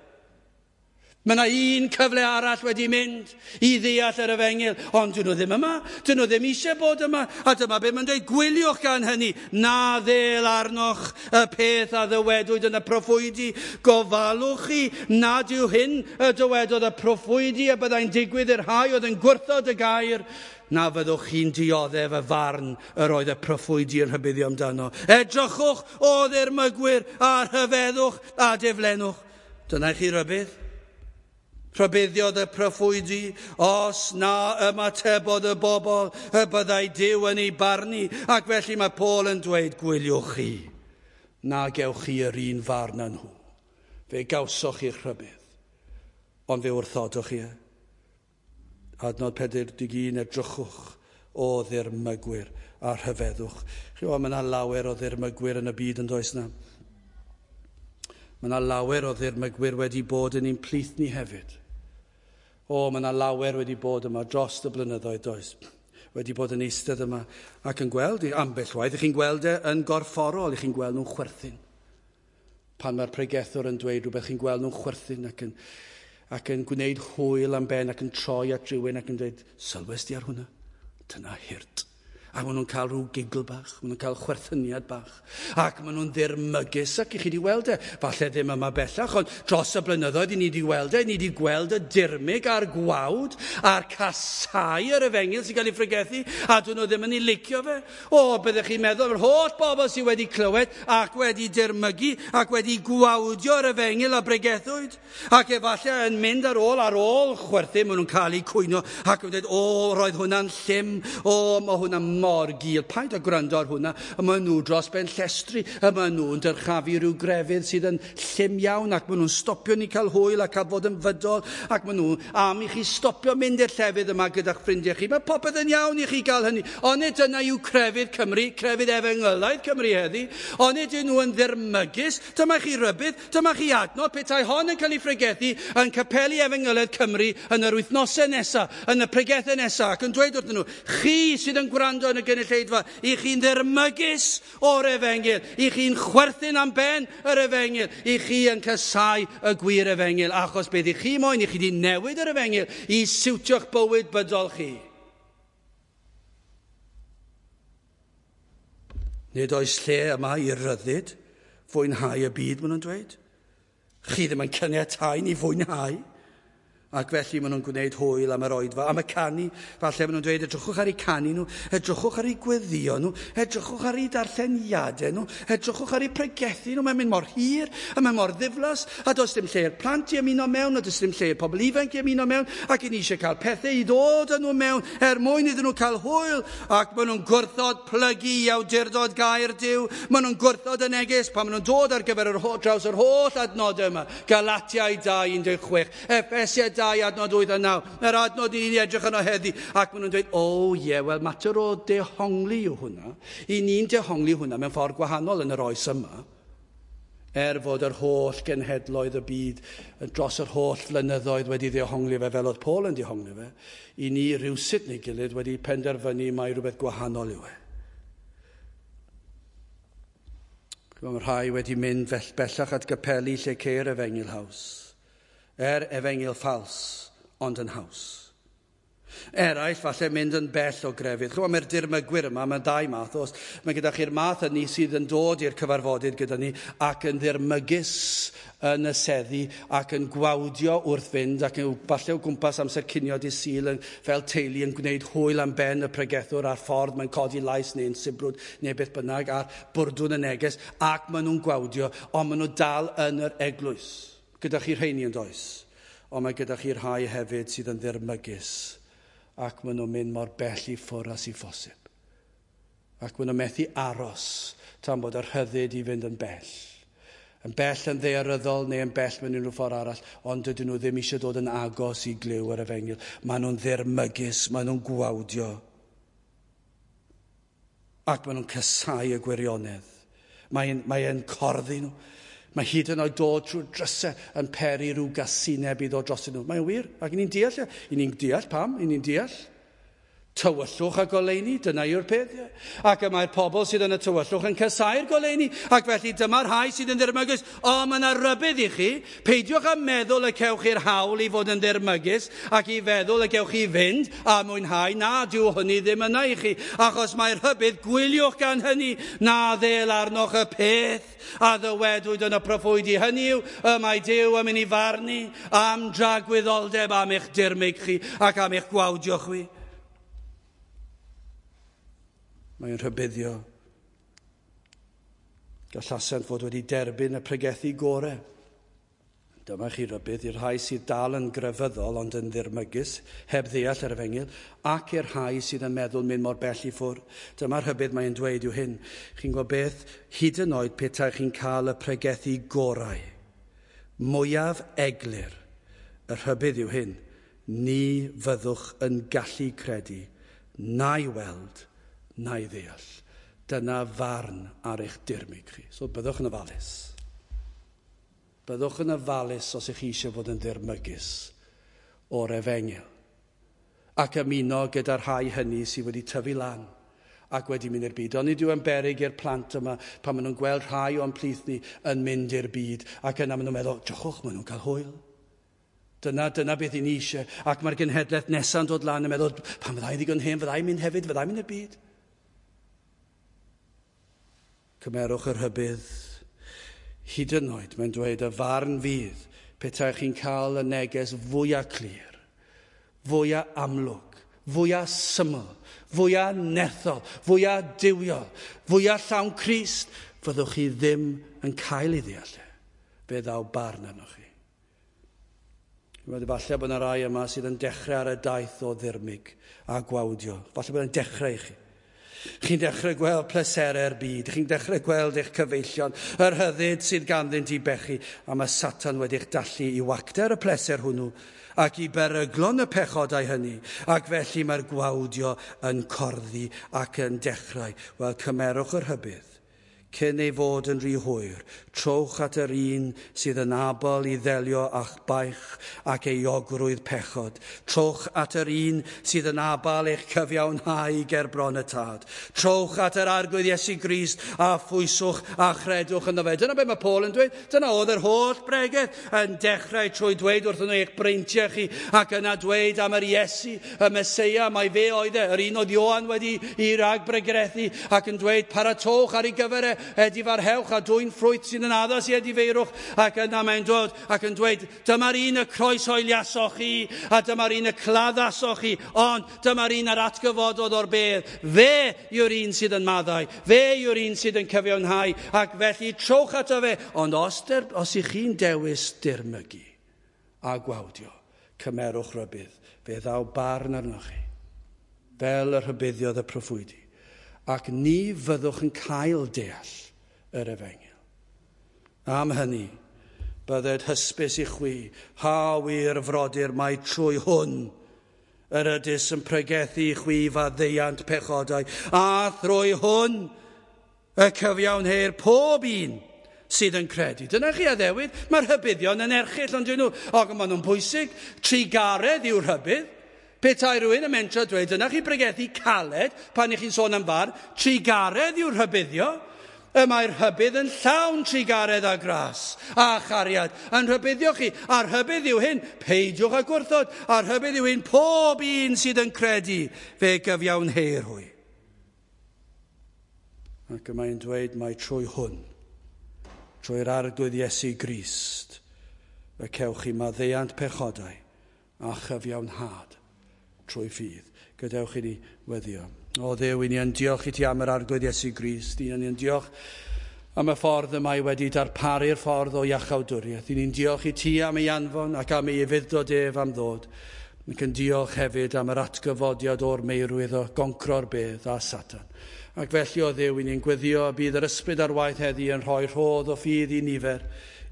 Mae yna un cyfle arall wedi mynd i ddeall yr efengyl, ond dyn nhw ddim yma, dyn nhw ddim eisiau bod yma, a dyma be mae'n dweud, gwyliwch gan hynny, na ddel arnoch y peth a ddywedwyd yn y proffwydi, gofalwch chi nad yw hyn y dywedodd y proffwydi y byddai'n digwydd i'r rhai oedd yn gwrthod y gair, na fyddwch chi'n dioddef y farn yr oedd y proffwydi yn rhybuddio amdano. Edrychwch o ddirmygwyr a rhyfeddwch a diflenwch. Dyna i chi rybudd. Rhybuddiodd y proffwydi, os na ymatebodd y bobl, y byddai Duw yn ei barnu, ac felly mae Paul yn dweud, gwyliwch chi, na gewch chi yr un farn â nhw. Fe gawsoch chi'ch rhybudd, ond fe wrthodoch chi e. Adnod pedwar deg un, edrychwch o ddirmygwyr a rhyfeddwch. Chi o, mae yna lawer o ddirmygwyr yn y byd yn does na. Mae yna lawer o ddirmygwyr wedi bod yn ein plith ni hefyd. O, mae yna lawer wedi bod yma dros y blynyddoedd, does? Wedi bod yn eistedd yma ac yn gweld, ambell waith, ych chi'n gweld e yn gorfforol, ych chi'n gweld nhw'n chwerthin. Pan mae'r pregethwr yn dweud rhywbeth, chi'n gweld nhw'n chwerthin ac yn, ac yn gwneud hwyl am ben ac yn troi at rhywun ac yn dweud, sylwes di ar hwnna? Dyna hurt. A maen nhw'n cael rhyw giggle bach, maen nhw'n cael chwerthyniad bach. Ac maen nhw'n ddirmygus, ac i chi wedi weld e. Falle ddim yma bellach, ond dros y blynyddoedd i ni wedi weld e, ni wedi gweld y dirmyg a'r gwawd a'r casau yr efengyl sy'n cael ei phregethu, a dyn nhw ddim yn ei licio fe. O, byddech chi'n meddwl, yr holl bobl sydd wedi clywed ac wedi dirmygu ac wedi gwawdio'r efengyl a bregethwyd. Ac efallai yn mynd ar ôl, ar ôl chwerthin, maen nhw'n cael eu cwyno ac yn dweud, o, roedd hwnna'n llym, o, mae hwnna'n mor gul, paid â gwrando ar hwnna, a maen nhw dros ben llestri, a maen nhw'n dyrchafu rhyw grefydd sydd yn llym iawn, ac maen nhw'n stopio ni cael hwyl a cael fod yn fydol, ac maen nhw am i chi stopio mynd i'r llefydd yma gyda'ch ffrindiau chi. Mae popeth yn iawn i chi gael hynny. Onid dyna yw crefydd Cymru, crefydd efengylaidd Cymru heddi. Onid yw nhw yn ddirmygus. Dyma chi rybudd, dyma chi adnod, petai hon yn cael ei phregethu yn capeli efengylaidd Cymru yn yr wythnosau nesaf, yn y pregethau nesaf, ac yn dweud wrthyn nhw, chi sydd yn gwrando yn y gynulleidfa, i chi'n ddirmygus o'r efengyl, i chi'n chwerthin am ben yr efengyl, i chi yn casáu y gwir efengyl, achos beth i chi moyn, i chi di newid yr efengyl i siwtio'ch bywyd bydol chi. Nid oes lle yma i ryddid fwynhau y byd, maen nhw'n dweud. Chi ddim yn caniatáu ni fwynhau. Ac felly maen nhw'n gwneud hwyl am yr oedfa, am y canu. Falle maen nhw'n dweud, edrychwch ar eu canu nhw, edrychwch ar eu gweddio nhw, edrychwch ar eu darlleniadau nhw, edrychwch ar eu pregethu nhw. Mae'n mynd mor hir, a mae'n mor ddiflas, a does dim lle i'r plant i ymuno mewn, a does dim lle i'r pobl ifanc i ymuno mewn, ac i ni eisiau cael pethau i ddod â nhw mewn, er mwyn iddyn nhw cael hwyl. Ac maen nhw'n gwrthod plygu i awdurdod gair Duw, maen nhw'n gwrthod y neges pan maen nhw'n dod ar gyfer yr ho- draws yr holl adnodau yma. Galatiaid dau un deg chwech, Effesiaid dau adnod wyth a naw, yr adnod i ni'n edrych yno heddi, ac maen nhw'n dweud, o ie, yeah, wel mater o dehongli yw hwnna. I ni'n dehongli hwnna mewn ffordd gwahanol yn yr oes yma, er fod yr holl genhedloedd y byd dros yr holl flynyddoedd wedi dehongli fe fel oedd Paul yn dehongli fe, i ni rywsut neu gilydd wedi penderfynu mai rhywbeth gwahanol yw e. Mae rhai wedi mynd fell bellach at gapeli lle ceir efengyl haws. Er efengyl ffals, ond yn haws. Eraill, falle mynd yn bell o grefydd. Chymod, mae'r dirmygwyr yma, mae dau math. Os mae gyda chi'r math hynny sydd yn dod i'r cyfarfodydd gyda ni ac yn ddirmygus yn y seddi ac yn gwawdio wrth fynd ac yn falle o gwmpas amser cinio dydd Sul yn, fel teulu yn gwneud hwyl am ben y pregethwr a'r ffordd mae'n codi lais neu'n sibrwd neu beth bynnag a'r bwrdwn y neges ac maen nhw'n gwawdio, ond maen nhw dal yn yr eglwys. Gyda chi rheini yn does, ond mae gyda chi rhai hefyd sydd yn ddirmygus ac maen nhw'n mynd mor bell i ffwrdd â sy'n phosib. Ac maen nhw'n methu aros tan bod yr rhyddid i fynd yn bell. Yn bell yn ddaearyddol neu yn bell mewn unrhyw ffordd arall, ond dydyn nhw ddim eisiau dod yn agos i glyw yr efengyl. Maen nhw'n ddirmygus, maen nhw'n gwawdio. Ac maen nhw'n casáu y gwirionedd. Mae'n mae e'n corddi nhw. Mae hyd yn oed dod trwy'r drysau yn peri rhyw gasineb i ddod dros nhw. Mae'n wir, ac ni'n deall, i ni'n deall pam, i ni'n deall. Tywyllwch a goleuni, dyna yw'r peth. Ac y mae'r pobl sydd yn y tywyllwch yn casáu'r goleuni, ac felly dyma'r rhai sydd yn ddirmygus. O, mae yna rybudd i chi. Peidiwch â meddwl y cewch chi'r hawl i fod yn ddirmygus ac i feddwl y gewch chi fynd a mwynhau. Na, dyw hynny ddim yna i chi, achos mae'r rhybudd, gwyliwch gan hynny, na ddêl arnoch y peth a ddywedwyd yn y proffwydi. Hynny yw, y mae Duw yn mynd i farnu am dragwyddoldeb am eich dirmyg chi ac am eich gwawdio chwi. Mae'n rhybuddio. Gallasent fod wedi derbyn y pregethu gorau. Dyma chi rybudd i'r rhai sydd dal yn grefyddol ond yn ddirmygus, heb ddeall yr efengyl, ac i'r rhai sydd yn meddwl mynd mor bell i ffwrdd. Dyma'r rhybudd mae'n dweud yw hyn. Chi'n gwybod beth? Hyd yn oed petai chi'n cael y pregethu gorau, mwyaf eglur, y rhybudd yw hyn. Ni fyddwch yn gallu credu, na'i weld, na'i ddeall. Dyna farn ar eich dirmyg chi. So byddwch yn ofalus. Byddwch yn ofalus os ych chi eisiau fod yn ddirmygus o'r efengyl. Ac ymuno gyda'r rhai hynny sydd wedi tyfu lan ac wedi mynd i'r byd. Ond nid yw yn beryg i'r plant yma pan maen nhw'n gweld rhai o'n plith ni yn mynd i'r byd ac yna maen nhw'n meddwl, drychwch, maen nhw'n cael hwyl. Dyna, dyna beth i ni eisiau. Ac mae'r genhedlaeth nesa'n dod lan yn meddwl, pan fyddai ddigon hen, fyddai'n mynd hefyd, fyddai'n mynd i'r byd. Cymerwch yr rhybudd. Hyd yn oed, mae'n dweud y farn fydd petai chi'n cael y neges fwyaf clir, fwyaf amlwg, fwyaf syml, fwyaf nerthol, fwyaf duwiol, fwyaf llawn Crist, fyddwch chi ddim yn cael ei ddeall e. Fe ddaw barn arnoch chi. Falle bod yna rai yma sydd yn dechrau ar y daith o ddirmyg a gwawdio. Falle bod yn dechrau i chi. Chi'n dechrau gweld pleserau'r byd, chi'n dechrau gweld eich cyfeillion, yr rhyddid sydd ganddynt i bechu, a mae Satan wedi'ch dallu i wacter y pleser hwnnw ac i beryglon y pechodau hynny, ac felly mae'r gwawdio yn corddi ac yn dechrau. Wel, cymerwch yr rhybudd. Cyn ei fod yn rhy hwyr, trowch at yr un sydd yn abl i ddelio â'ch baich ac euogrwydd pechod. Trowch at yr un sydd yn abl eich cyfiawnhau ger bron y Tad. Trowch at yr Arglwydd Iesu Grist a phwyswch a chredwch ynddo fe. Dyna beth mae Paul yn dweud. Dyna oedd yr holl bregeth yn dechrau trwy dweud wrthyn nhw eich breintiau chi ac yna dweud am yr Iesu, y Meseia, mai fe oedd e, yr un oedd Ioan wedi i ragbregethu ac yn dweud paratowch ar ei gyfer e, edifarhewch a dwyn ffrwyth sydd yn addas i edifeirwch, ac yna mae'n dod ac yn dweud dyma'r un y croeshoeliasoch chi a dyma'r un y claddasoch chi, ond dyma'r un a'r atgyfododd o'r bedd. Fe yw'r un sydd yn maddau, fe yw'r un sydd yn cyfiawnhau, ac felly trowch ato fe. Ond os, der, os ych chi'n dewis dirmygu a gwawdio, cymerwch rybudd, fe ddaw barn arnoch chi, fel y rhybuddiodd y proffwydi, ac ni fyddwch yn cael deall yr efengyl. Am hynny, bydded hysbys i chwi, ha wir frodyr, mai trwy hwn yr ydys yn pregethu i chwi faddeuant pechodau, a thrwy hwn y cyfiawnheir pob un sydd yn credu. Dyna chi addewid, mae'r rhybuddion yn erchyll, ond dyn nhw, og maen nhw'n bwysig, trugaredd yw'r rhybudd. Petai rhywun yn mentro dweud, dyna chi bregethu caled pan ych chi'n sôn am farn, trugaredd yw'r rhybuddio. Y mae'r rhybudd yn llawn trugaredd a gras a chariad yn rhybuddio chi. A'r rhybudd yw hyn, peidiwch â gwrthod. A'r rhybudd yw hyn, pob un sydd yn credu, fe gyfiawnheir hwy. Ac y mae'n dweud mai trwy hwn, trwy'r Arglwydd Iesu Grist, y cewch chi maddeuant pechodau a chyfiawnhad trwy ffydd. Gadewch i ni weddio. O Dduw, i ni yn diolch i ti am yr Arglwydd Iesu Grist. I ni yn diolch am y ffordd y mae wedi darparu'r ffordd o iachawdwriaeth. I ni'n diolch i ti am ei anfon ac am ei ufudd-dod ef am ddod. Ac yn diolch hefyd am yr atgyfodiad o'r meirwydd o goncro'r bedd a Satan. Ac felly o Dduw, i ni'n gweddio y bydd yr ysbryd ar waith heddi yn rhoi rhodd o ffydd i nifer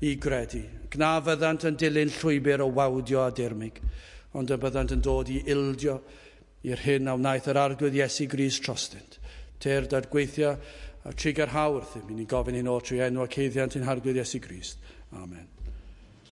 i gredu. Gna fyddant yn dilyn llwybr o wawdio a dirmyg, ond y byddant yn dod i ildio i'r hyn a wnaeth yr Arglwydd Iesu Grist trostynt. Tyrd a'r gweithio a trugarhau wrthym. I ni'n gofyn hyn oll trwy enw ac haeddiant ein Harglwydd Iesu Grist. Amen.